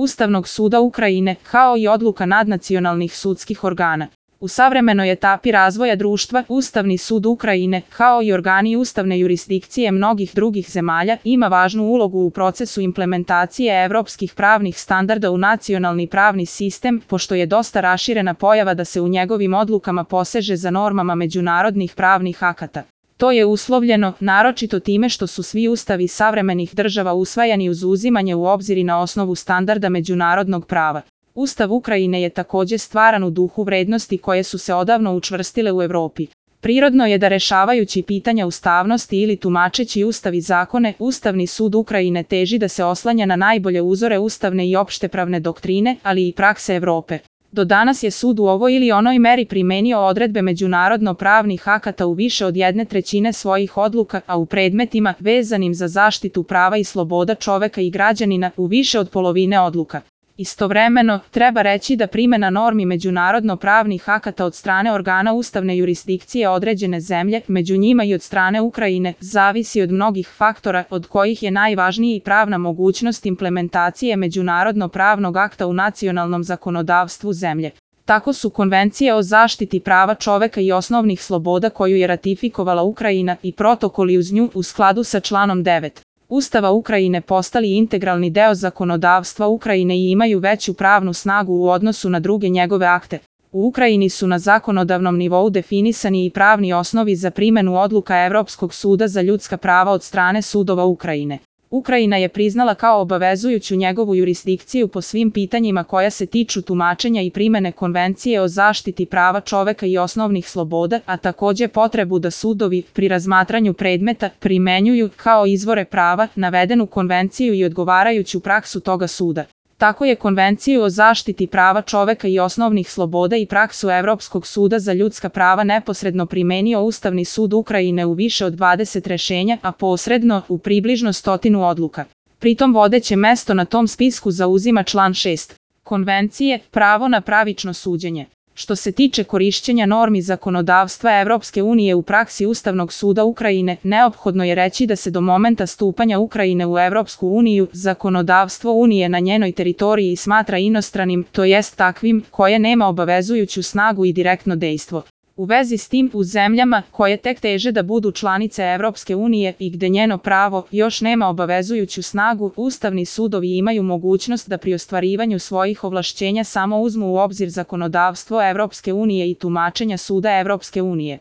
Ustavnog suda Ukrajine, kao i odluka nadnacionalnih sudskih organa. U savremenoj etapi razvoja društva, Ustavni sud Ukrajine, kao i organi ustavne jurisdikcije mnogih drugih zemalja, ima važnu ulogu u procesu implementacije evropskih pravnih standarda u nacionalni pravni sistem, pošto je dosta raširena pojava da se u njegovim odlukama poseže za normama međunarodnih pravnih akata. To je uslovljeno, naročito time što su svi ustavi savremenih država usvajani uz uzimanje u obzir i na osnovu standarda međunarodnog prava. Ustav Ukrajine je također stvaran u duhu vrednosti koje su se odavno učvrstile u Evropi. Prirodno je da rešavajući pitanja ustavnosti ili tumačeći ustav i zakone, Ustavni sud Ukrajine teži da se oslanja na najbolje uzore ustavne i opštepravne doktrine, ali i prakse Evrope. Do danas je sud u ovoj ili onoj meri primenio odredbe međunarodno-pravnih akata u više od 1/3 svojih odluka, a u predmetima vezanim za zaštitu prava i sloboda čoveka i građanina u više od polovine odluka. Istovremeno, treba reći da primena normi međunarodno-pravnih akata od strane organa ustavne jurisdikcije određene zemlje, među njima i od strane Ukrajine, zavisi od mnogih faktora, od kojih je najvažniji pravna mogućnost implementacije međunarodno-pravnog akta u nacionalnom zakonodavstvu zemlje. Tako su Konvencije o zaštiti prava čoveka i osnovnih sloboda koju je ratifikovala Ukrajina i protokoli uz nju u skladu sa članom 9. Ustava Ukrajine postali integralni deo zakonodavstva Ukrajine i imaju veću pravnu snagu u odnosu na druge njegove akte. U Ukrajini su na zakonodavnom nivou definisani i pravni osnovi za primenu odluka Evropskog suda za ljudska prava od strane sudova Ukrajine. Ukrajina je priznala kao obavezujuću njegovu jurisdikciju po svim pitanjima koja se tiču tumačenja i primene Konvencije o zaštiti prava čoveka i osnovnih sloboda, a također potrebu da sudovi, pri razmatranju predmeta, primenjuju, kao izvore prava, navedenu konvenciju i odgovarajuću praksu toga suda. Tako je Konvenciju o zaštiti prava čoveka i osnovnih sloboda i praksu Evropskog suda za ljudska prava neposredno primenio Ustavni sud Ukrajine u više od 20 rešenja, a posredno u približno 100 odluka. Pritom vodeće mesto na tom spisku zauzima član 6. Konvencije, pravo na pravično suđenje. Što se tiče korišćenja normi zakonodavstva Evropske unije u praksi Ustavnog suda Ukrajine, neophodno je reći da se do momenta stupanja Ukrajine u Evropsku uniju, zakonodavstvo Unije na njenoj teritoriji smatra inostranim, to jest takvim, koje nema obavezujuću snagu i direktno dejstvo. U vezi s tim, u zemljama koje tek teže da budu članice Evropske unije i gde njeno pravo još nema obavezujuću snagu, ustavni sudovi imaju mogućnost da pri ostvarivanju svojih ovlašćenja samo uzmu u obzir zakonodavstvo Evropske unije i tumačenja suda Evropske unije.